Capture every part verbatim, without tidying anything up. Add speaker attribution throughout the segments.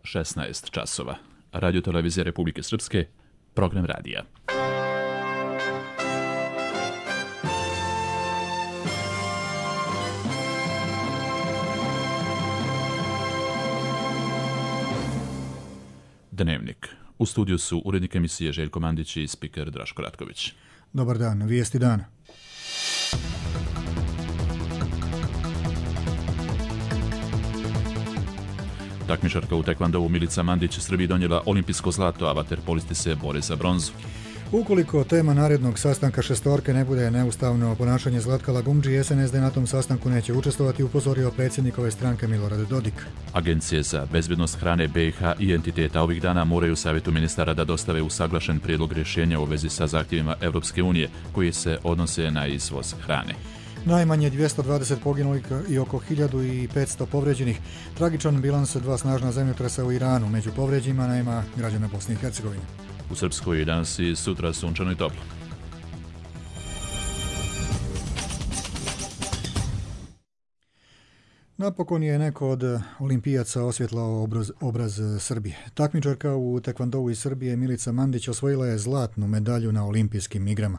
Speaker 1: šesnaest časova. Radio televizija Republike Srpske, program radija. Dnevnik. U studiju su urednik emisije Željko Mandić i spiker Draško Ratković.
Speaker 2: Dobar dan, vijesti dana.
Speaker 1: Takmičarka u tekvandovu Milica Mandić Srbiji donijela olimpijsko zlato, a vaterpolisti se bore za bronzu.
Speaker 2: Ukoliko tema narednog sastanka šestorke ne bude neustavno ponašanje Zlatka Lagumdži, S N S D na tom sastanku neće učestvovati, upozorio predsjednik ove stranke Milorad Dodik.
Speaker 1: Agencije za bezbjednost hrane B i H i entiteta ovih dana moraju Savjetu ministara da dostave usaglašen prijedlog rješenja u vezi sa zahtjevima Europske unije, koji se odnose na izvoz hrane.
Speaker 2: Najmanje dvjesto dvadeset poginulih i oko hiljadu petsto povređenih. Tragičan bilans dva snažna zemljotresa u Iranu. Među povređenima nema građana Bosne i Hercegovine.
Speaker 1: U Srpskoj je danas i sutra sunčano i toplo.
Speaker 2: Napokon je neko od olimpijaca osvjetlao obraz, obraz Srbije. Takmičarka u tekvandovu iz Srbije Milica Mandić osvojila je zlatnu medalju na olimpijskim igrama.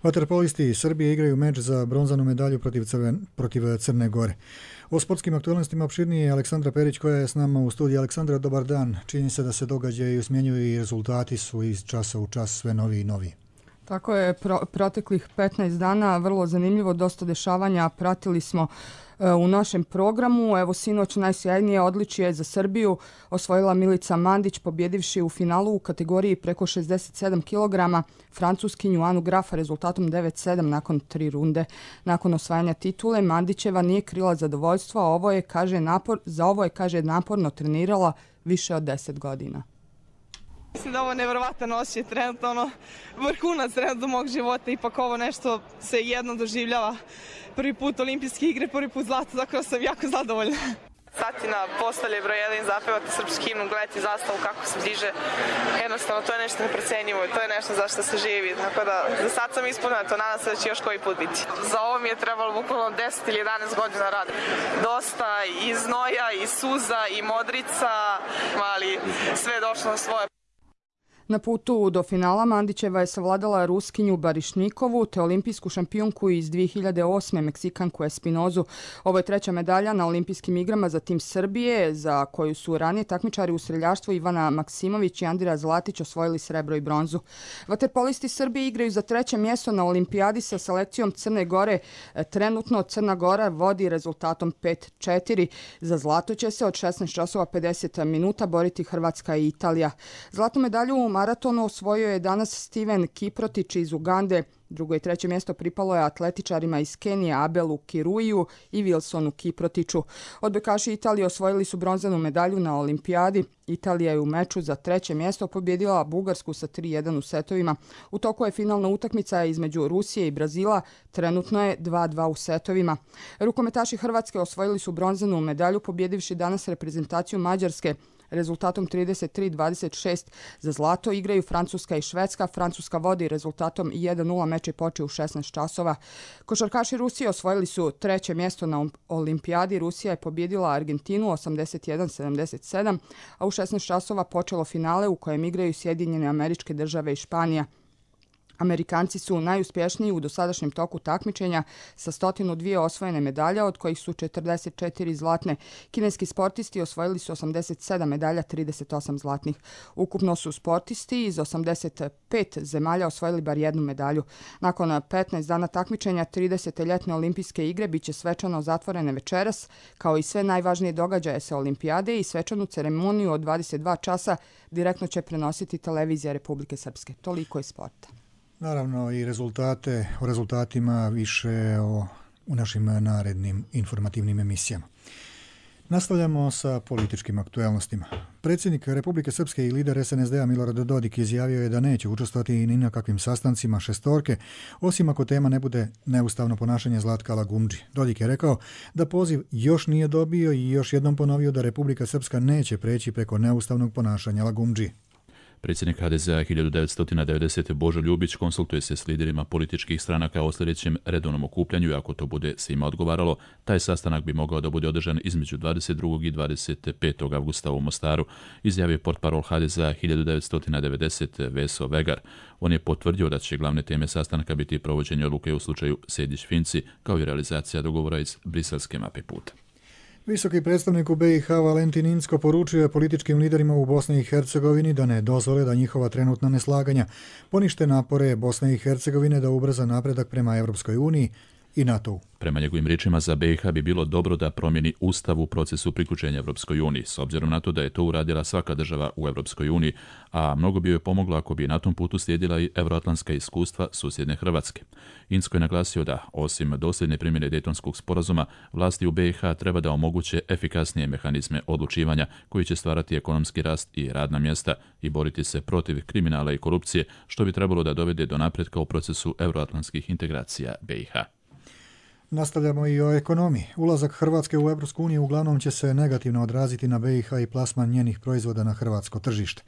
Speaker 2: Vaterpolisti Srbije igraju meč za bronzanu medalju protiv, Crven, protiv Crne Gore. O sportskim aktualnostima opširnije je Aleksandra Perić koja je s nama u studiju. Aleksandra, dobar dan. Čini se da se događaju smjenjuju i rezultati su iz časa u čas sve novi i novi.
Speaker 3: Tako je, pro, proteklih petnaest dana, vrlo zanimljivo, dosta dešavanja pratili smo e, u našem programu. Evo, sinoć najsjajnije odličje za Srbiju osvojila Milica Mandić, pobjedivši u finalu u kategoriji preko šezdeset sedam kilograma Francuskinju Anu Grafa rezultatom devet sedam nakon tri runde. Nakon osvajanja titule, Mandićeva nije krila zadovoljstvo, a ovo je, kaže, napor, za ovo je, kaže, naporno trenirala više od deset godina.
Speaker 4: Mislim da ovo je nevjerovatan osjećaj, trenutno ono, vrhunac trenutno mog života, ipak ovo nešto se jednom doživljava. Prvi put olimpijske igre, prvi put zlato, tako da sam jako zadovoljna. Satina postolje broj jedan, zapevati srpski himnu, gledati zastavu kako se diže, jednostavno to je nešto neprecenjivo, to je nešto za što se živi, tako da za sad sam ispunila to, nadam se da će još koji put biti. Za ovo mi je trebalo bukvalno deset ili jedanaest godina rada. Dosta i znoja, i suza, i modrica, ali sve je došlo na svoje.
Speaker 3: Na putu do finala Mandićeva je savladala Ruskinju Barišnikovu te olimpijsku šampionku iz dvije hiljade osme Meksikanku Espinozu. Ovo je treća medalja na olimpijskim igrama za tim Srbije, za koju su ranije takmičari u streljaštvu Ivana Maksimović i Andira Zlatić osvojili srebro i bronzu. Vaterpolisti Srbije igraju za treće mjesto na olimpijadi sa selekcijom Crne Gore. Trenutno Crna Gora vodi rezultatom pet četiri. Za zlato će se od šesnaest časova pedeset minuta boriti Hrvatska i Italija. Zlatnu medalju u maratonu osvojio je danas Steven Kiprotić iz Ugande. Drugo i treće mjesto pripalo je atletičarima iz Kenije Abelu Kiruiju i Wilsonu Kiprotiću. Odbojkaši Italije osvojili su bronzanu medalju na olimpijadi. Italija je u meču za treće mjesto pobjedila Bugarsku sa tri jedan u setovima. U toku je finalna utakmica između Rusije i Brazila, trenutno je dva dva u setovima. Rukometaši Hrvatske osvojili su bronzanu medalju pobjedivši danas reprezentaciju Mađarske rezultatom trideset tri dvadeset šest. Za zlato igraju Francuska i Švedska. Francuska vodi rezultatom jedan nula, meč je počeo u šesnaest časova. Košarkaši Rusije osvojili su treće mjesto na olimpijadi. Rusija je pobjedila Argentinu osamdeset jedan sedamdeset sedam, a u šesnaest časova počelo finale u kojem igraju Sjedinjene Američke Države i Španija. Amerikanci su najuspješniji u dosadašnjem toku takmičenja sa sto dvije osvojene medalje, od kojih su četrdeset četiri zlatne. Kineski sportisti osvojili su osamdeset sedam medalja, trideset osam zlatnih. Ukupno su sportisti iz osamdeset pet zemalja osvojili bar jednu medalju. Nakon petnaest dana takmičenja, tridesete ljetne olimpijske igre biće svečano zatvorene večeras, kao i sve najvažnije događaje sa olimpijade, i svečanu ceremoniju od dvadeset dva časa direktno će prenositi televizija Republike Srpske. Toliko je sporta.
Speaker 2: Naravno i rezultate, o rezultatima više o, u našim narednim informativnim emisijama. Nastavljamo sa političkim aktualnostima. Predsjednik Republike Srpske i lider S N S D-a Milorad Dodik izjavio je da neće učestvovati ni na kakvim sastancima šestorke, osim ako tema ne bude neustavno ponašanje Zlatka Lagumdži. Dodik je rekao da poziv još nije dobio i još jednom ponovio da Republika Srpska neće preći preko neustavnog ponašanja Lagumdži.
Speaker 1: Predsjednik ha de zea hiljadu devetsto devedesete. Božo Ljubić konsultuje se s liderima političkih stranaka o sljedećem redovnom okupljanju i ako to bude svima odgovaralo, taj sastanak bi mogao da bude održan između dvadeset drugog i dvadeset petog avgusta u Mostaru, izjavio portparol ha de zea hiljadu devetsto devedesete. Veso Vegar. On je potvrdio da će glavne teme sastanka biti provođenje odluke u slučaju Sejdić-Finci, kao i realizacija dogovora iz briselske mape puta.
Speaker 2: Visoki predstavnik u be i ha Valentin Incko poručio je političkim liderima u Bosni i Hercegovini da ne dozvole da njihova trenutna neslaganja ponište napore Bosne i Hercegovine da ubrza napredak prema Europskoj uniji i NATO-u.
Speaker 1: Prema njegovim riječima, za be i ha bi bilo dobro da promijeni ustav u procesu priključenja Europskoj uniji, s obzirom na to da je to uradila svaka država u Europskoj uniji, a mnogo bi joj pomoglo ako bi na tom putu slijedila i euroatlantska iskustva susjedne Hrvatske. Incko je naglasio da, osim dosljedne primjene Dejtonskog sporazuma, vlasti u be i ha treba da omoguće efikasnije mehanizme odlučivanja koji će stvarati ekonomski rast i radna mjesta i boriti se protiv kriminala i korupcije, što bi trebalo da dovede do napretka u procesu euroatlantskih integracija be i ha.
Speaker 2: Nastavljamo i o ekonomiji. Ulazak Hrvatske u Europsku uniju uglavnom će se negativno odraziti na be i ha i plasman njenih proizvoda na hrvatsko tržište.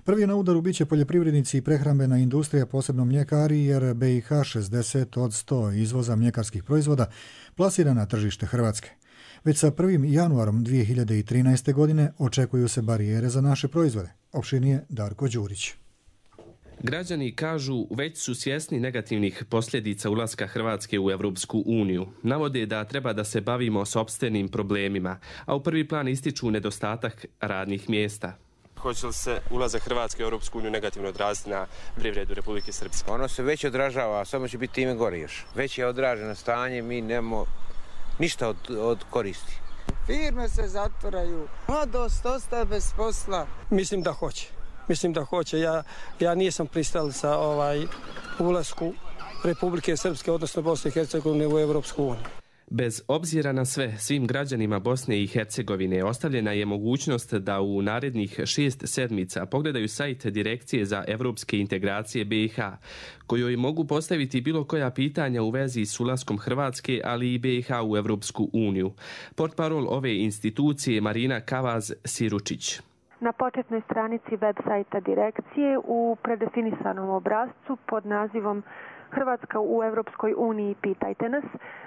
Speaker 2: Prvi na udaru biće poljoprivrednici i prehrambena industrija, posebno mljekari, jer be i ha šezdeset od sto izvoza mljekarskih proizvoda plasira na tržište Hrvatske. Već sa prvim januarom dvije hiljade trinaeste. godine očekuju se barijere za naše proizvode. Opširnije Darko Đurić.
Speaker 5: Građani kažu već su svjesni negativnih posljedica ulaska Hrvatske u Europsku uniju. Navode da treba da se bavimo sopstvenim problemima, a u prvi plan ističu nedostatak radnih mjesta.
Speaker 6: Hoće li se ulazak Hrvatske u Europsku uniju negativno odraziti na privredu Republike Srpske?
Speaker 7: Ono se već odražava, samo će biti time gore još. Već je odraženo stanje, mi nemamo ništa od, od koristi.
Speaker 8: Firme se zatvaraju, mladost ostaje bez posla.
Speaker 9: Mislim da hoće. Mislim da hoće. Ja, ja nisam pristao sa ovaj ulasku Republike Srpske, odnosno Bosne i Hercegovine u Europsku uniju.
Speaker 5: Bez obzira na sve, svim građanima Bosne i Hercegovine ostavljena je mogućnost da u narednih šest sedmica pogledaju sajt Direkcije za evropske integracije be i ha, kojoj mogu postaviti bilo koja pitanja u vezi s ulaskom Hrvatske, ali i be i ha u Europsku uniju. Portparol ove institucije Marina Kavaz-Siručić.
Speaker 10: Na početnoj stranici web sajta direkcije u predefinisanom obrascu pod nazivom Hrvatska u Europskoj uniji pitajte nas,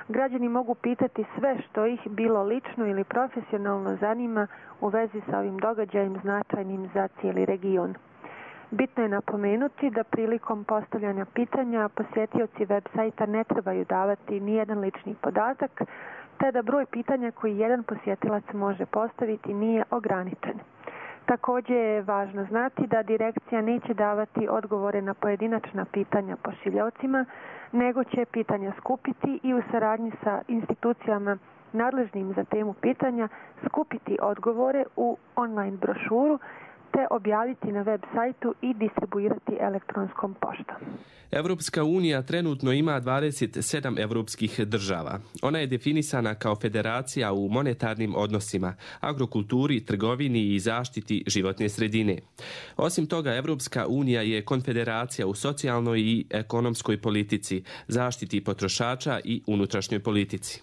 Speaker 10: građani mogu pitati sve što ih bilo lično ili profesionalno zanima u vezi sa ovim događajem značajnim za cijeli region. Bitno je napomenuti da prilikom postavljanja pitanja posjetioci web sajta ne trebaju davati nijedan lični podatak, te da broj pitanja koji jedan posjetilac može postaviti nije ograničen. Također je važno znati da direkcija neće davati odgovore na pojedinačna pitanja pošiljaocima, nego će pitanja skupiti i u saradnji sa institucijama nadležnim za temu pitanja skupiti odgovore u online brošuru te objaviti na web sajtu i distribuirati elektronskom poštom.
Speaker 5: Europska unija trenutno ima dvadeset sedam europskih država. Ona je definisana kao federacija u monetarnim odnosima, agrokulturi, trgovini i zaštiti životne sredine. Osim toga, Europska unija je konfederacija u socijalnoj i ekonomskoj politici, zaštiti potrošača i unutrašnjoj politici.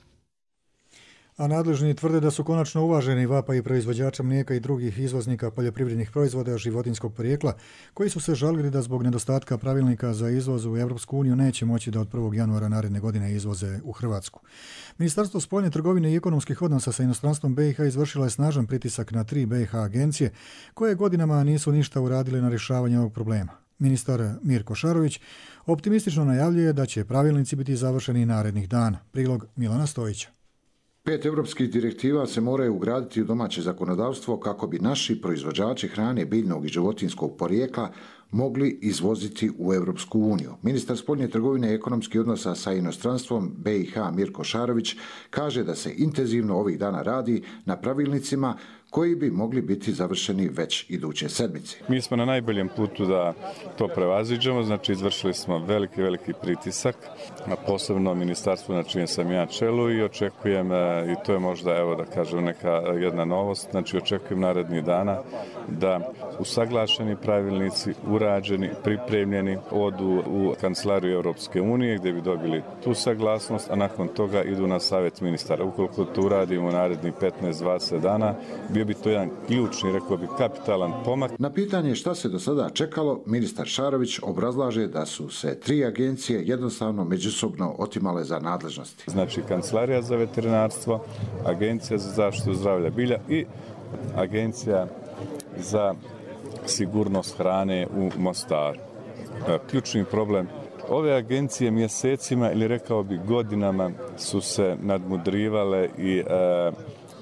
Speaker 2: A nadležni tvrde da su konačno uvaženi vapaji proizvođača mlijeka i drugih izvoznika poljoprivrednih proizvoda životinjskog porijekla, koji su se žalili da zbog nedostatka pravilnika za izvoz u Europsku uniju neće moći da od prvog januara naredne godine izvoze u Hrvatsku. Ministarstvo spoljne trgovine i ekonomskih odnosa sa inostranstvom be i ha izvršila je snažan pritisak na tri be i ha agencije, koje godinama nisu ništa uradile na rješavanje ovog problema. Ministar Mirko Šarović optimistično najavljuje da će pravilnici biti završeni narednih dana. Prilog Milana Stojića.
Speaker 11: Pet europskih direktiva se moraju ugraditi u domaće zakonodavstvo kako bi naši proizvođači hrane biljnog i životinjskog porijekla mogli izvoziti u Europsku uniju. Ministar spoljne trgovine i ekonomskih odnosa sa inostranstvom be i ha Mirko Šarović kaže da se intenzivno ovih dana radi na pravilnicima koji bi mogli biti završeni već iduće sedmice.
Speaker 12: Mi smo na najboljem putu da to prevaziđemo, znači izvršili smo veliki, veliki pritisak, a posebno ministarstvo na čijem sam ja čelu i očekujem, i to je možda, evo da kažem, neka jedna novost, znači očekujem narednih dana da usaglašeni pravilnici, urađeni, pripremljeni, odu u kancelariju Europske unije gdje bi dobili tu saglasnost, a nakon toga idu na savjet ministara. Ukoliko to uradimo u narednih petnaest do dvadeset dana, bio bi to jedan ključni, rekao bi, kapitalan pomak.
Speaker 11: Na pitanje šta se do sada čekalo, ministar Šarović obrazlaže da su se tri agencije jednostavno međusobno otimale za nadležnosti.
Speaker 12: Znači, Kancelarija za veterinarstvo, Agencija za zaštitu zdravlja bilja i Agencija za sigurnost hrane u Mostaru. Ključni problem, ove agencije mjesecima ili rekao bi godinama su se nadmudrivale i e,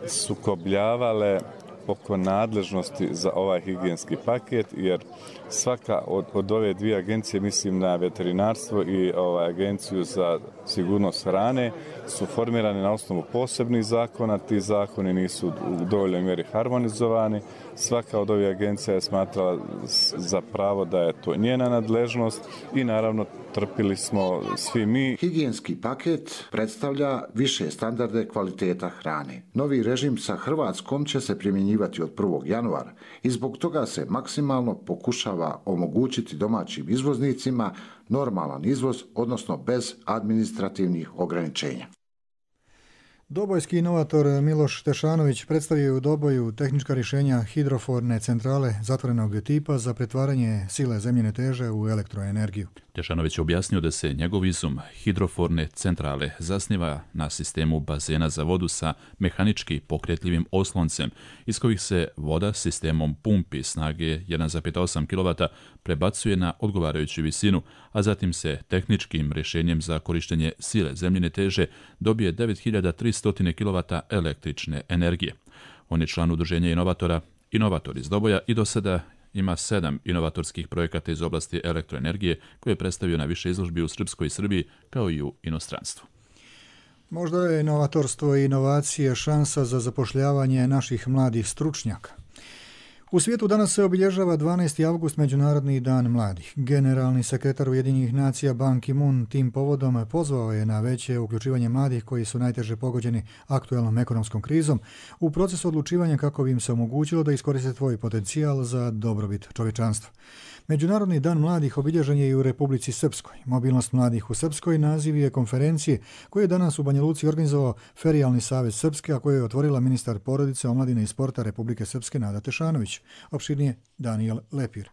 Speaker 12: sukobljavale oko nadležnosti za ovaj higijenski paket, jer svaka od, od ove dvije agencije, mislim na veterinarstvo i ovaj, Agenciju za sigurnost hrane, su formirane na osnovu posebnih zakona. Ti zakoni nisu u dovoljnoj mjeri harmonizovani. Svaka od ovih agencija je smatrala za pravo da je to njena nadležnost i naravno trpili smo svi mi.
Speaker 11: Higijenski paket predstavlja više standarde kvaliteta hrane. Novi režim sa Hrvatskom će se primjenjivati od prvog januara i zbog toga se maksimalno pokušava omogućiti domaćim izvoznicima normalan izvoz, odnosno bez administrativnih ograničenja.
Speaker 2: Dobojski inovator Miloš Tešanović predstavio je u Doboju tehnička rješenja hidroforne centrale zatvorenog tipa za pretvaranje sile zemljine teže u elektroenergiju.
Speaker 1: Tešanović je objasnio da se njegov izum hidroforne centrale zasniva na sistemu bazena za vodu sa mehanički pokretljivim osloncem, iz kojih se voda sistemom pumpi snage jedan zarez osam kilovata prebacuje na odgovarajuću visinu, a zatim se tehničkim rješenjem za korištenje sile zemljine teže dobije devet hiljada tristo kilovata električne energije. On je član udruženja inovatora Inovator iz Doboja i do sada ima sedam inovatorskih projekata iz oblasti elektroenergije koje je predstavio na više izložbi u Srpskoj Srbiji kao i u inostranstvu.
Speaker 2: Možda je inovatorstvo i inovacije šansa za zapošljavanje naših mladih stručnjaka. U svijetu danas se obilježava dvanaesti avgust, Međunarodni dan mladih. Generalni sekretar Ujedinjenih nacija Ban Ki-moon tim povodom pozvao je na veće uključivanje mladih koji su najteže pogođeni aktuelnom ekonomskom krizom u procesu odlučivanja kako bi im se omogućilo da iskoriste svoj potencijal za dobrobit čovječanstva. Međunarodni dan mladih obilježen je i u Republici Srpskoj. Mobilnost mladih u Srpskoj naziv je konferencije koju je danas u Banja Luci organizovao Ferijalni savez Srpske, a koju je otvorila ministar porodice, omladine i sporta Republike Srpske Nada Tešanović. Opširnije Danijel Lepir.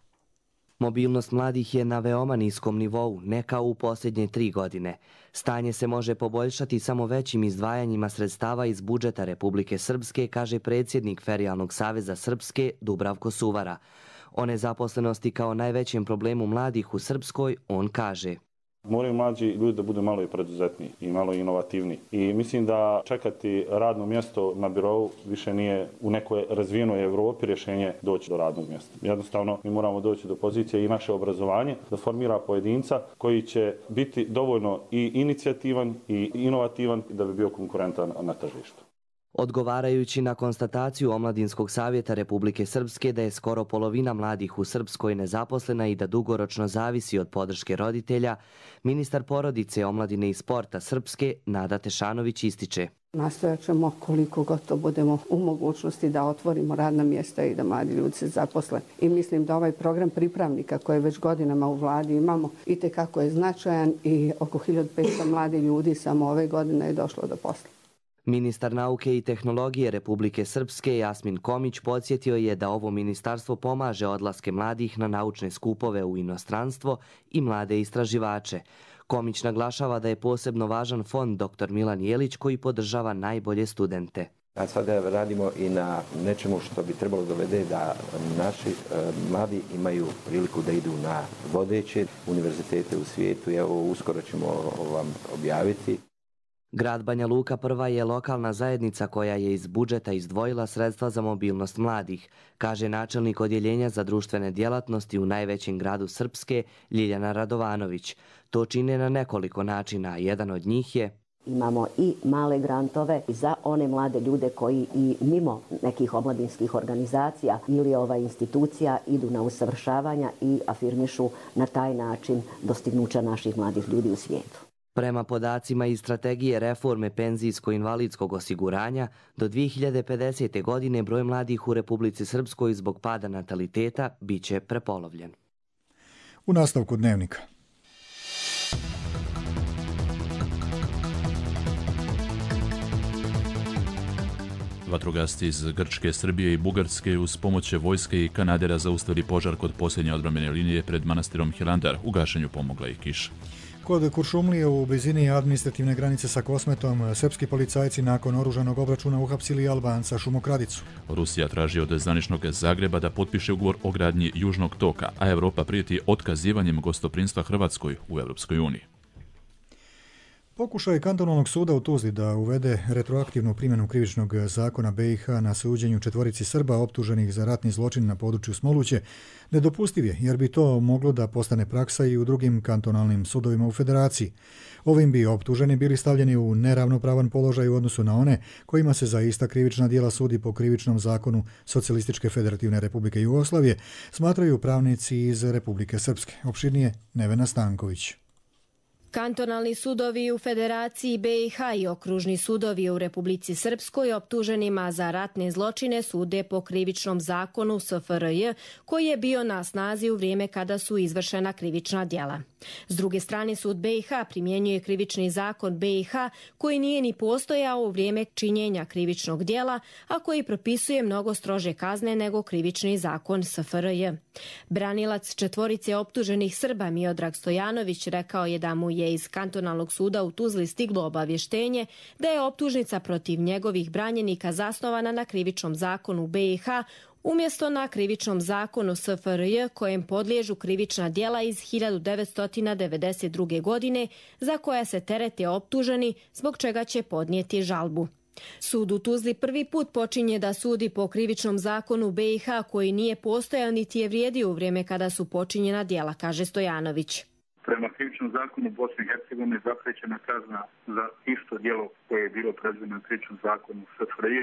Speaker 13: Mobilnost mladih je na veoma niskom nivou, ne kao u posljednje tri godine. Stanje se može poboljšati samo većim izdvajanjima sredstava iz budžeta Republike Srpske, kaže predsjednik Ferijalnog saveza Srpske Dubravko Suvara. O nezaposlenosti kao najvećem problemu mladih u Srpskoj on kaže:
Speaker 14: Moraju mlađi ljudi da budu malo i preduzetni i malo inovativni. I mislim da čekati radno mjesto na birovu više nije u nekoj razvijenoj Evropi rješenje doći do radnog mjesta. Jednostavno mi moramo doći do pozicije i naše obrazovanje da formira pojedinca koji će biti dovoljno i inicijativan i inovativan da bi bio konkurentan na tržištu.
Speaker 13: Odgovarajući na konstataciju Omladinskog savjeta Republike Srpske da je skoro polovina mladih u Srpskoj nezaposlena i da dugoročno zavisi od podrške roditelja, ministar porodice, omladine i sporta Srpske Nada Tešanović ističe:
Speaker 15: Nastojat ćemo koliko god to budemo u mogućnosti da otvorimo radna mjesta i da mladi ljudi se zaposle. I mislim da ovaj program pripravnika koje već godinama u vladi imamo itekako je značajan i oko hiljadu petsto mladih ljudi samo ove godine je došlo do posla.
Speaker 13: Ministar nauke i tehnologije Republike Srpske Jasmin Komić podsjetio je da ovo ministarstvo pomaže odlaske mladih na naučne skupove u inostranstvo i mlade istraživače. Komić naglašava da je posebno važan fond doktor Milan Jelić koji podržava najbolje studente.
Speaker 16: A sada radimo i na nečemu što bi trebalo dovede da naši e, mladi imaju priliku da idu na vodeće univerzitete u svijetu. Evo, uskoro ćemo vam objaviti.
Speaker 13: Grad Banja Luka prva je lokalna zajednica koja je iz budžeta izdvojila sredstva za mobilnost mladih, kaže načelnik odjeljenja za društvene djelatnosti u najvećem gradu Srpske Ljiljana Radovanović. To čine na nekoliko načina, jedan od njih je:
Speaker 17: imamo i male grantove za one mlade ljude koji i mimo nekih omladinskih organizacija ili ova institucija idu na usavršavanja i afirmišu na taj način dostignuća naših mladih ljudi u svijetu.
Speaker 13: Prema podacima iz strategije reforme penzijsko-invalidskog osiguranja, do dvije hiljade pedesete. godine broj mladih u Republici Srpskoj zbog pada nataliteta biće prepolovljen.
Speaker 2: U nastavku dnevnika.
Speaker 1: Vatrogasci iz Grčke, Srbije i Bugarske uz pomoć vojske i kanadera zaustavili požar kod posljednje odbrambene linije pred manastirom Hilandar. U gašenju pomogla i kiša.
Speaker 2: Kod Kuršumlije u blizini administrativne granice sa Kosmetom srpski policajci nakon oružanog obračuna uhapsili Albanca šumokradicu.
Speaker 1: Rusija traži od zvaničnog Zagreba da potpiše ugovor o gradnji Južnog toka, a Europa prijeti otkazivanjem gostoprinstva Hrvatskoj u Europskoj uniji.
Speaker 2: Pokušaj kantonalnog suda u Tuzli da uvede retroaktivnu primjenu krivičnog zakona B i H na suđenju četvorici Srba optuženih za ratni zločin na području Smoluće nedopustiv je, jer bi to moglo da postane praksa i u drugim kantonalnim sudovima u federaciji. Ovim bi optuženi bili stavljeni u neravnopravan položaj u odnosu na one kojima se za ista krivična djela sudi po krivičnom zakonu Socijalističke federativne republike Jugoslavije, smatraju pravnici iz Republike Srpske. Opširnije Nevena Stanković.
Speaker 18: Kantonalni sudovi u Federaciji B i H i okružni sudovi u Republici Srpskoj optuženima za ratne zločine sude po krivičnom zakonu S F R J koji je bio na snazi u vrijeme kada su izvršena krivična djela. S druge strane, sud B i H primjenjuje krivični zakon B i H koji nije ni postojao u vrijeme činjenja krivičnog djela, a koji propisuje mnogo strože kazne nego krivični zakon S F R J. Branilac četvorice optuženih Srba Miodrag Stojanović rekao je da mu je iz kantonalnog suda u Tuzli stiglo obavještenje da je optužnica protiv njegovih branjenika zasnovana na krivičnom zakonu B i H umjesto na krivičnom zakonu S F R J kojem podliježu krivična djela iz hiljadu devetsto devedeset druge. godine za koja se terete optuženi, zbog čega će podnijeti žalbu. Sud u Tuzli prvi put počinje da sudi po krivičnom zakonu B i H koji nije postojao niti je vrijedio u vrijeme kada su počinjena djela, kaže Stojanović.
Speaker 19: Prema krivičnom zakonu Bosne i Hercegovine zapriječena kazna za isto djelo koje je bilo predviđeno u krivičnom zakonu S F R J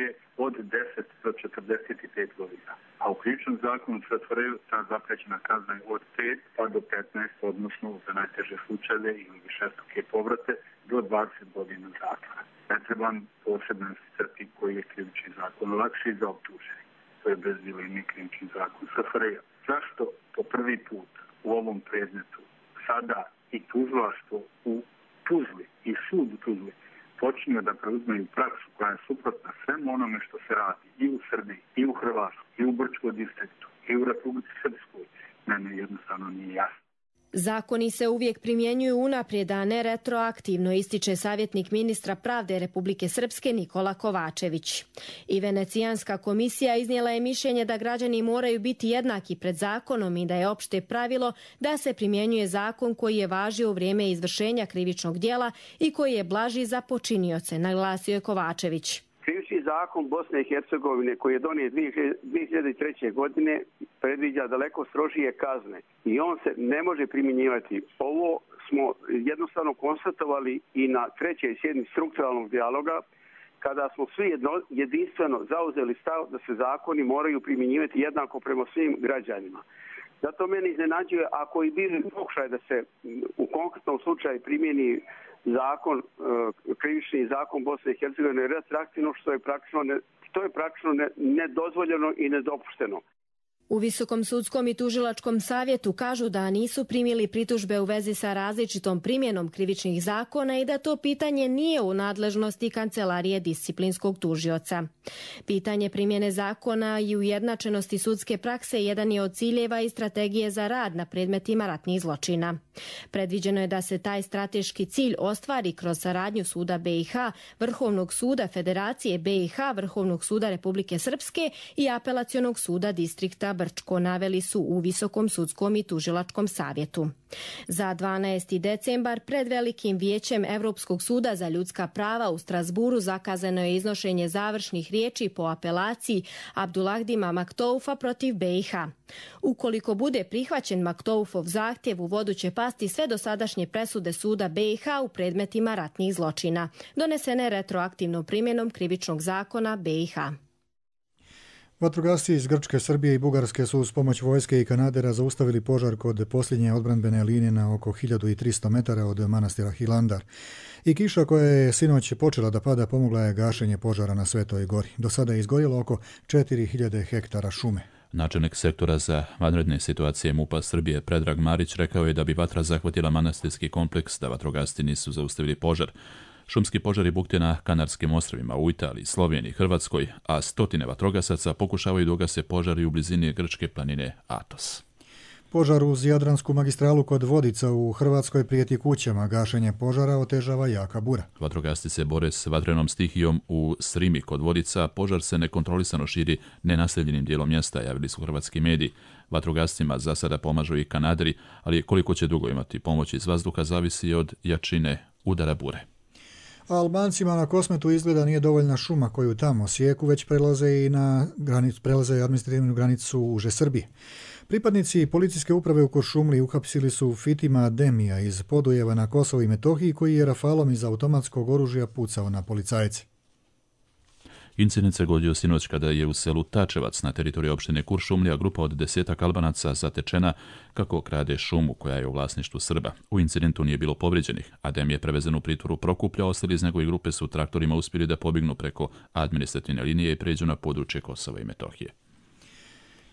Speaker 19: od deset do četrdeset pet godina. A u krivičnom zakonu S F R J ta zapriječena kazna je od pet pa do petnaest, odnosno za najteže slučajeve ili višestruke povrate do dvadeset godina zatvora. Ne trebam posebno isticati koji je krivični zakon lakši za optuženi. To je bez dileme krivični zakon S F R J. Zašto po prvi put u ovom predmetu sada i tužilaštvo u Tuzli i sud u Tuzli počinju da preuzmeju praksu koja je suprotna svemu onome što se radi i u Srbiji, i u Hrvatskoj, i u Brčkom distriktu, i u Republici Srpskoj, mene jednostavno nije jasno.
Speaker 18: Zakoni se uvijek primjenjuju unaprijed, a ne retroaktivno, ističe savjetnik ministra pravde Republike Srpske Nikola Kovačević. I Venecijanska komisija iznijela je mišljenje da građani moraju biti jednaki pred zakonom i da je opšte pravilo da se primjenjuje zakon koji je važio u vrijeme izvršenja krivičnog djela i koji je blaži za počinioce, naglasio je Kovačević.
Speaker 20: Krivični zakon Bosne i Hercegovine koji je donijet dvije hiljade treće. godine predviđa daleko strožije kazne i on se ne može primjenjivati. Ovo smo jednostavno konstatovali i na trećoj sjednici strukturalnog dijaloga kada smo svi jedno, jedinstveno zauzeli stav da se zakoni moraju primjenjivati jednako prema svim građanima. Zato meni iznenađuje ako i bili pokušaj da se u konkretnom slučaju primjeni zakon, krivični zakon Bosne i Hercegovine retroaktivno, što je praktično, ne, što je praktično ne, nedozvoljeno i nedopušteno.
Speaker 18: U Visokom sudskom i tužilačkom savjetu kažu da nisu primili pritužbe u vezi sa različitom primjenom krivičnih zakona i da to pitanje nije u nadležnosti Kancelarije disciplinskog tužioca. Pitanje primjene zakona i ujednačenosti sudske prakse jedan je od ciljeva i strategije za rad na predmetima ratnih zločina. Predviđeno je da se taj strateški cilj ostvari kroz saradnju suda B i H, Vrhovnog suda Federacije B i H, Vrhovnog suda Republike Srpske i Apelacionog suda distrikta Brčko, naveli su u Visokom sudskom i tužilačkom savjetu. Za dvanaesti decembar pred Velikim vijećem Evropskog suda za ljudska prava u Strasburu zakazano je iznošenje završnih riječi po apelaciji Abdulahdima Maktoufa protiv B i H. Ukoliko bude prihvaćen Maktoufov zahtjev, u vodu će pasti sve dosadašnje presude suda B i H u predmetima ratnih zločina, donesene retroaktivnom primjenom krivičnog zakona B i H.
Speaker 2: Vatrogasci iz Grčke, Srbije i Bugarske su uz pomoć vojske i kanadera zaustavili požar kod posljednje odbrambene linije na oko hiljadu tristo metara od manastira Hilandar. I kiša koja je sinoć počela da pada pomogla je gašenje požara na Svetoj gori. Do sada je izgorjelo oko četiri hiljade hektara šume.
Speaker 1: Načelnik sektora za vanredne situacije MUP-a Srbije Predrag Marić rekao je da bi vatra zahvatila manastirski kompleks da vatrogasci nisu zaustavili požar. Šumski požari bukte na Kanarskim ostrvima, u Italiji, Sloveniji, Hrvatskoj, a stotine vatrogasaca pokušavaju da ugase požari u blizini grčke planine Atos.
Speaker 2: Požar uz Jadransku magistralu kod Vodica u Hrvatskoj prijeti kućama. Gašenje požara otežava jaka bura.
Speaker 1: Vatrogasci se bore s vatrenom stihijom u Srimi kod Vodica. Požar se nekontrolisano širi nenaseljenim dijelom mjesta, javili su hrvatski mediji. Vatrogascima za sada pomažu i kanaderi, ali koliko će dugo imati pomoć iz vazduha zavisi od jačine udara bure.
Speaker 2: A Albancima na Kosmetu izgleda nije dovoljna šuma koju tamo sijeku, već prelaze i na granicu, prelaze administrativnu granicu uže Srbije. Pripadnici policijske uprave u Kuršumliji uhapsili su Fitima Demija iz Podujeva na Kosovo i Metohiji, koji je rafalom iz automatskog oružja pucao na policajce.
Speaker 1: Incident se dogodio sinoć kada je u selu Tačevac na teritoriju opštine Kuršumlija grupa od desetak Albanaca zatečena kako krade šumu koja je u vlasništvu Srba. U incidentu nije bilo povrijeđenih. Adem je prevezen u pritvoru Prokuplja, ostali iz njegove grupe su traktorima uspjeli da pobignu preko administrativne linije i pređu na područje Kosova i Metohije.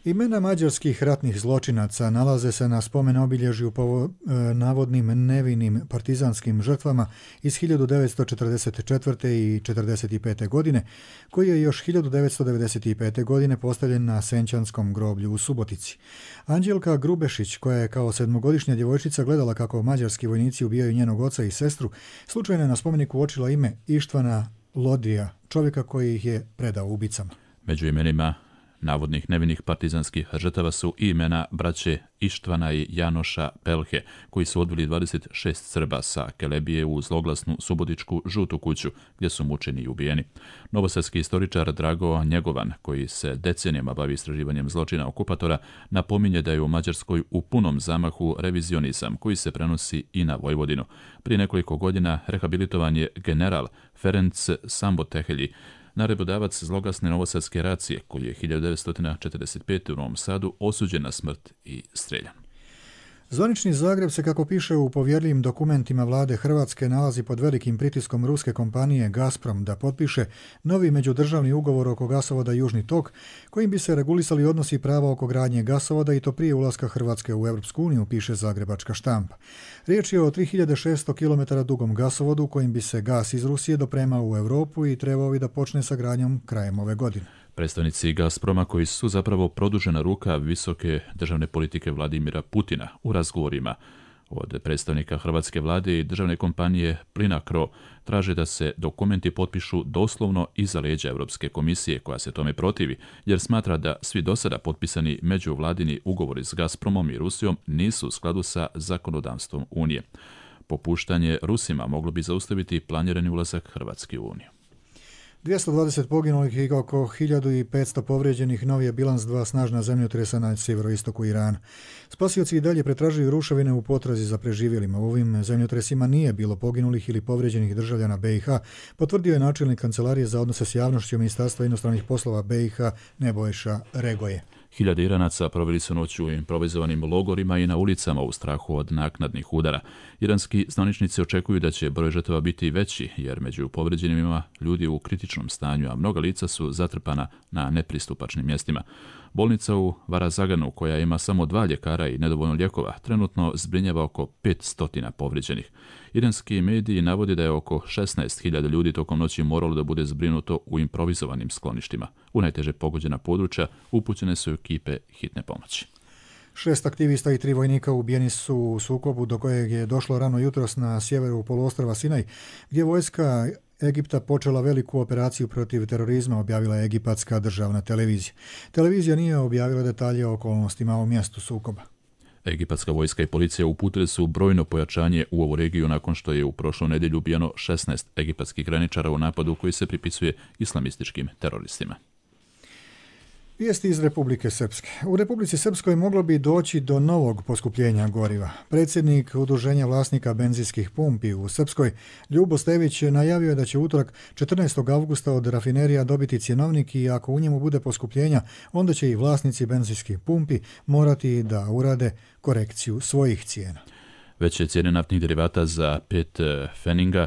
Speaker 2: Imena mađarskih ratnih zločinaca nalaze se na spomen obilježju po e, navodnim nevinim partizanskim žrtvama iz hiljadu devetsto četrdeset četvrte i četrdeset pete. godine, koji je još hiljadu devetsto devedeset pete. godine postavljen na Senčanskom groblju u Subotici. Anđelka Grubešić, koja je kao sedmogodišnja djevojčica gledala kako mađarski vojnici ubijaju njenog oca i sestru, slučajno je na spomeniku uočila ime Ištvana Lodrija, čovjeka koji ih je predao ubicama.
Speaker 1: Među imenima navodnih nevinih partizanskih žrtava su i imena braće Ištvana i Janoša Pelhe, koji su odveli dvadeset šest Srba sa Kelebije u zloglasnu subotičku žutu kuću, gdje su mučeni i ubijeni. Novosadski istoričar Drago Njegovan, koji se decenijama bavi istraživanjem zločina okupatora, napominje da je u Mađarskoj u punom zamahu revizionizam, koji se prenosi i na Vojvodinu. Prije nekoliko godina rehabilitovan je general Ferenc Sambotehelji, naredbodavac zloglasne novosadske racije, koji je hiljadu devetsto četrdeset pete. u Novom Sadu osuđen na smrt i streljan.
Speaker 2: Zvanični Zagreb se, kako piše u povjerljivim dokumentima vlade Hrvatske, nalazi pod velikim pritiskom ruske kompanije Gazprom da potpiše novi međudržavni ugovor oko gasovoda Južni tok, kojim bi se regulisali odnosi i prava oko gradnje gasovoda i to prije ulaska Hrvatske u Europsku uniju, piše zagrebačka štampa. Riječ je o tri hiljade šesto kilometara dugom gasovodu kojim bi se gas iz Rusije dopremao u Europu i trebao bi da počne sa gradnjom krajem ove godine.
Speaker 1: Predstavnici Gazproma, koji su zapravo produžena ruka visoke državne politike Vladimira Putina, u razgovorima od predstavnika hrvatske vlade i državne kompanije Plinacro traže da se dokumenti potpišu doslovno iza leđa Europske komisije, koja se tome protivi, jer smatra da svi dosada potpisani međuvladini ugovori s Gazpromom i Rusijom nisu u skladu sa zakonodavstvom Unije. Popuštanje Rusima moglo bi zaustaviti planirani ulazak Hrvatske u Uniju.
Speaker 2: dvjesto dvadeset poginulih i oko hiljadu petsto povrijeđenih novi je bilans dva snažna zemljotresa na sjeveroistoku Irana. Spasioci i dalje pretražuju ruševine u potrazi za preživjelima. U ovim zemljotresima nije bilo poginulih ili povrijeđenih državljana B i H, potvrdio je načelnik Kancelarije za odnose s javnošću Ministarstva inostranih poslova B i H Nebojša Regoje.
Speaker 1: Hiljade Iranaca proveli su noć u improvizovanim logorima i na ulicama u strahu od naknadnih udara. Iranski zvaničnici očekuju da će broj žrtava biti veći, jer među povređenim ima ljudi u kritičnom stanju, a mnoga lica su zatrpana na nepristupačnim mjestima. Bolnica u Varazaganu, koja ima samo dva ljekara i nedovoljno lijekova, trenutno zbrinjava oko petsto povrijeđenih. Iranski mediji navode da je oko šesnaest hiljada ljudi tokom noći moralo da bude zbrinuto u improvizovanim skloništima. U najteže pogođena područja upućene su ekipe hitne pomoći.
Speaker 2: Šest aktivista i tri vojnika ubijeni su u sukobu do kojeg je došlo rano jutros na sjeveru poluostrva Sinaj, gdje vojska Egipta počela veliku operaciju protiv terorizma, objavila je egipatska državna televizija. Televizija nije objavila detalje o okolnostima u mjestu sukoba.
Speaker 1: Egipatska vojska i policija uputili su brojno pojačanje u ovu regiju nakon što je u prošlu nedjelju ubijeno šesnaest egipatskih graničara u napadu koji se pripisuje islamističkim teroristima.
Speaker 2: Vijesti iz Republike Srpske. U Republici Srpskoj moglo bi doći do novog poskupljenja goriva. Predsjednik Udruženja vlasnika benzinskih pumpi u Srpskoj, Ljubo Stević, najavio je da će utorak četrnaestog avgusta od rafinerija dobiti cjenovnik i ako u njemu bude poskupljenja, onda će i vlasnici benzinskih pumpi morati da urade korekciju svojih cijena.
Speaker 1: Veće cijene naftnih derivata za pet feninga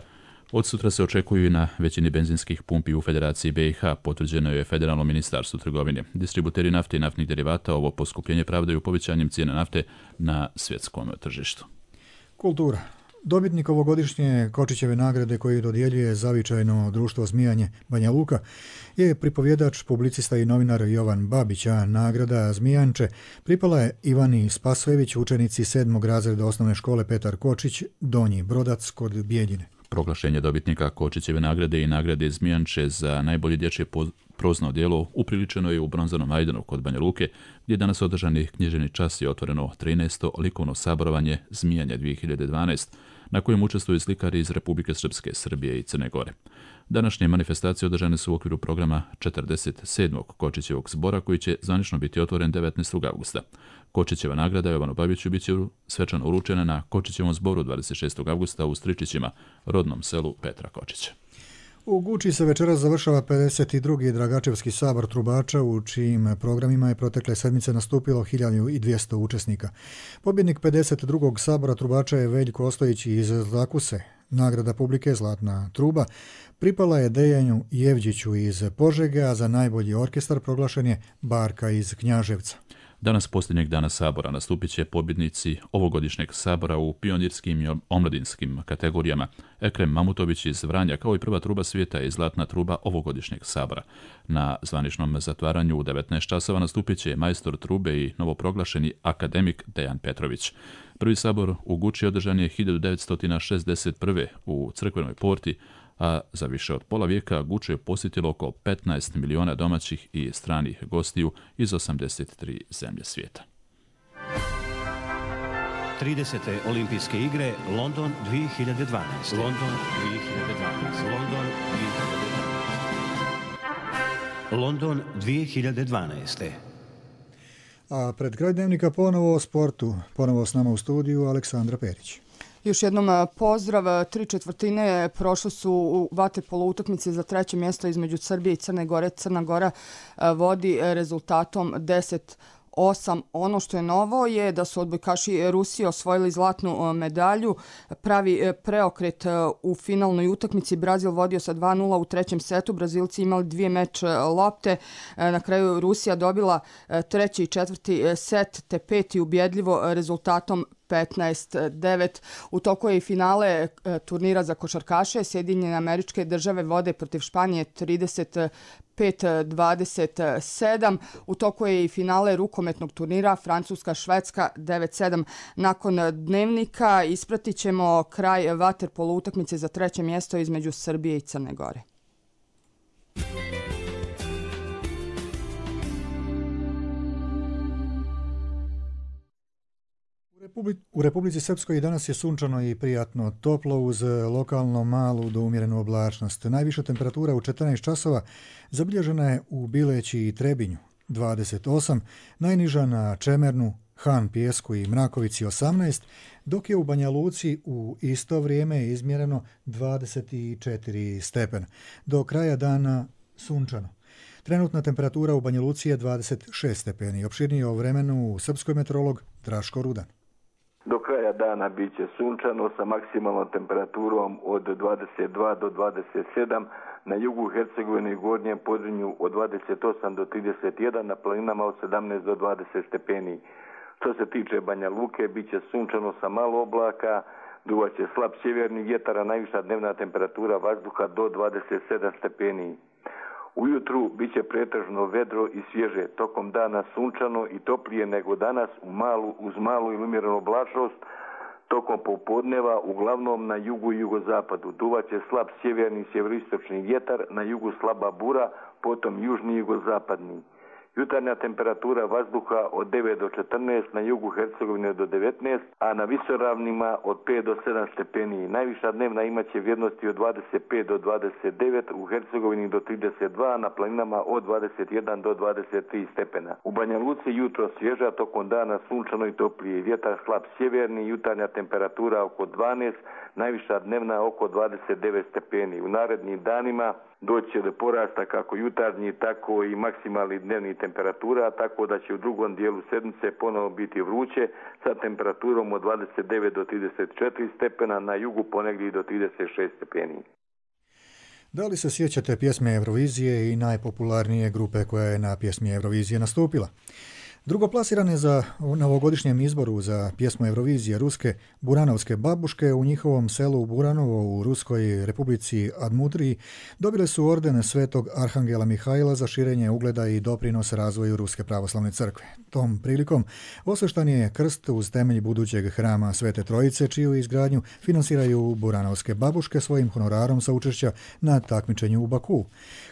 Speaker 1: od sutra se očekuju i na većini benzinskih pumpi u Federaciji B i H, potvrđeno je Federalno ministarstvo trgovine. Distributeri nafte i naftnih derivata ovo poskupljenje pravdaju povećanjem cijene nafte na svjetskom tržištu.
Speaker 2: Kultura. Dobitnik ovogodišnje Kočićeve nagrade koju dodjeljuje zavičajno društvo Zmijanje Banja Luka je pripovjedač, publicista i novinar Jovan Babić, a nagrada Zmijanče pripala je Ivani Spasojević, učenici sedmog razreda osnovne škole Petar Kočić, Donji Brodac kod Bijeljine.
Speaker 1: Proglašenje dobitnika Kočićeve nagrade i nagrade Zmijanče za najbolje dječje prozno djelo upriličeno je u Bronzanom Majdanu kod Banja Luke, gdje je danas održani književni čas i otvoreno trinaesto likovno saborovanje Zmijanje dvije hiljade dvanaest, na kojem učestvuju slikari iz Republike Srpske, Srbije i Crne Gore. Današnje manifestacije održane su u okviru programa četrdeset sedmog Kočićevog zbora, koji će zvanično biti otvoren devetnaestog avgusta. Kočićeva nagrada Jovanu Babiću bit će svečano uručena na Kočićevom zboru dvadeset šestog avgusta u Stričićima, rodnom selu Petra Kočića.
Speaker 2: U Guči se večeras završava pedeset drugi Dragačevski sabor trubača, u čijim programima je protekle sedmice nastupilo hiljadu dvjesto učesnika. Pobjednik pedeset drugog sabora trubača je Veljko Ostojić iz Zlakuse. Nagrada publike Zlatna truba pripala je Dejanju Jevđiću iz Požege, a za najbolji orkestar proglašen je Barka iz Knjaževca.
Speaker 1: Danas, posljednjeg dana sabora, nastupit će pobjednici ovogodišnjeg sabora u pionirskim i omladinskim kategorijama. Ekrem Mamutović iz Vranja, kao i prva truba svijeta i zlatna truba ovogodišnjeg sabora. Na zvaničnom zatvaranju u devetnaest časova nastupit će majstor trube i novoproglašeni akademik Dejan Petrović. Prvi sabor u Guči održan je hiljadu devetsto šezdeset prve. u Crkvenoj porti, a za više od pola vijeka Guču je posjetilo oko petnaest miliona domaćih i stranih gostiju iz osamdeset tri zemlje svijeta.
Speaker 21: tridesete olimpijske igre London dvije hiljade dvanaest. London dvije hiljade dvanaest. London dvije hiljade dvanaest. London dvije hiljade dvanaest.
Speaker 2: A pred kraj dnevnika ponovo o sportu. Ponovo s nama u studiju Aleksandra Perić.
Speaker 3: Još jednom pozdrav. Tri četvrtine prošle su u vaterpolo utakmici za treće mjesto između Srbije i Crne Gore. Crna Gora vodi rezultatom deset osam. Ono što je novo je da su odbojkaši Rusije osvojili zlatnu medalju. Pravi preokret u finalnoj utakmici. Brazil vodio sa dva nula u trećem setu. Brazilci imali dvije meč lopte. Na kraju Rusija dobila treći i četvrti set te peti ubjedljivo rezultatom petnaest devet. U toku je i finale turnira za košarkaše. Sjedinjene Američke Države vode protiv Španije trideset pet dvadeset sedam. U toku je i finale rukometnog turnira Francuska-Švedska devet sedam. Nakon dnevnika ispratit ćemo kraj vaterpolo utakmice za treće mjesto između Srbije i Crne Gore.
Speaker 2: U Republici Srpskoj danas je sunčano i prijatno toplo uz lokalno malu do umjerenu oblačnost. Najviša temperatura u četrnaest časova zabilježena je u Bileći i Trebinju dvadeset osam, najniža na Čemernu, Han, Pijesku i Mrakovici osamnaest, dok je u Banja Luci u isto vrijeme izmjereno dvadeset četiri stepena. Do kraja dana sunčano. Trenutna temperatura u Banja Luci je dvadeset šest stepeni. Opširnije o vremenu srpskoj meteorolog Draško Rudan.
Speaker 22: Do kraja dana bit će sunčano sa maksimalnom temperaturom od dvadeset dva do dvadeset sedam, na jugu Hercegovine i Gornjem Podrinju od dvadeset osam do trideset jedan, na planinama od sedamnaest do dvadeset stepeni. Što se tiče Banja Luke, bit će sunčano sa malo oblaka, duvat će slab sjeverni vjetar, a najviša dnevna temperatura vazduha do dvadeset sedam stepeni. Ujutru bit će pretežno vedro i svježe, tokom dana sunčano i toplije nego danas u malu, uz malu ili umjerenu oblačnost, tokom popodneva uglavnom na jugu i jugozapadu. Duvat će slab sjeverni i sjeveroistočni vjetar, na jugu slaba bura, potom južni i jugozapadni. Jutarnja temperatura vazduha od devet do četrnaest, na jugu Hercegovine do devetnaest, a na visoravnima od pet do sedam stepeni. Najviša dnevna imaće vrijednosti od dvadeset pet do dvadeset devet, u Hercegovini do trideset dva, na planinama od dvadeset jedan do dvadeset tri stepena. U Banja Luci jutro svježa, tokom dana sunčano i toplije. Vjetar slab sjeverni, jutarnja temperatura oko dvanaest, najviša dnevna oko dvadeset devet stepeni. U narednim danima doći do porasta kako jutarnji, tako i maksimalni dnevni temperatura, tako da će u drugom dijelu sedmice ponovo biti vruće sa temperaturom od dvadeset devet do trideset četiri stepena, na jugu ponegdje do trideset šest stepeni.
Speaker 2: Da li se sjećate pjesme Eurovizije i najpopularnije grupe koja je na pjesmi Eurovizije nastupila? Drugoplasirane za novogodišnjem izboru za pjesmu Eurovizije ruske Buranovske babuške u njihovom selu Buranovo u Ruskoj republici Admudriji dobile su orden Svetog Arhangela Mihajla za širenje ugleda i doprinos razvoju Ruske pravoslavne crkve. Tom prilikom osveštan je krst uz temelj budućeg hrama Svete Trojice, čiju izgradnju finansiraju Buranovske babuške svojim honorarom sa učešća na takmičenju u Baku.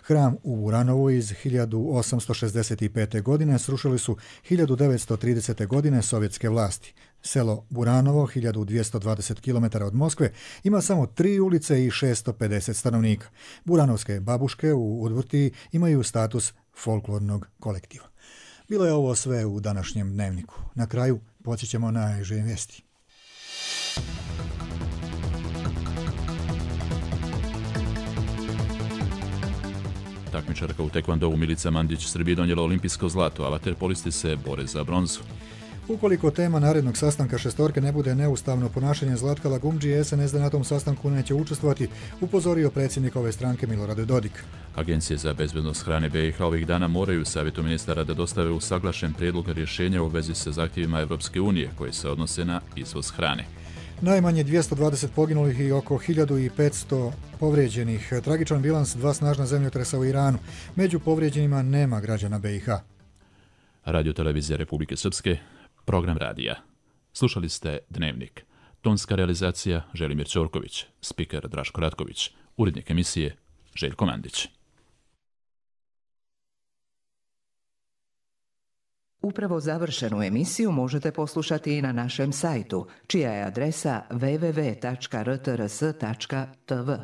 Speaker 2: Hram u Buranovu iz hiljadu osamsto šezdeset pete. godine srušili su hiljadu devetsto tridesete. godine sovjetske vlasti. Selo Buranovo, hiljadu dvjesto dvadeset kilometara od Moskve, ima samo tri ulice i šesto pedeset stanovnika. Buranovske babuške u Udvrtiji imaju status folklornog kolektiva. Bilo je ovo sve u današnjem dnevniku. Na kraju podsjećamo na najže vijesti.
Speaker 1: Takmičarka u tekvandovu Milica Mandić Srbiji donijela olimpijsko zlato, a vaterpolisti se bore za bronzu.
Speaker 2: Ukoliko tema narednog sastanka šestorke ne bude neustavno ponašanje Zlatka Lagumdžije, S N S D na tom sastanku neće učestvovati, upozorio predsjednik ove stranke Milorad Dodik.
Speaker 1: Agencije za bezbednost hrane B i H ovih dana moraju savjetu ministara da dostave usaglašen prijedlog rješenja u vezi sa zahtjevima Evropske unije koji se odnose na izvoz hrane.
Speaker 2: Najmanje dvjesto dvadeset poginulih i oko hiljadu petsto povrijeđenih. Tragičan bilans dva snažna zemljotresa u Iranu. Među povrijeđenima nema građana B i H.
Speaker 1: Radio televizija Republike Srpske, program radija. Slušali ste Dnevnik. Tonska realizacija Želimir Ćorković, spiker Draško Ratković, urednik emisije Željko Mandić.
Speaker 4: Upravo završenu emisiju možete poslušati i na našem sajtu, čija je adresa w w w tačka r t r s tačka t v.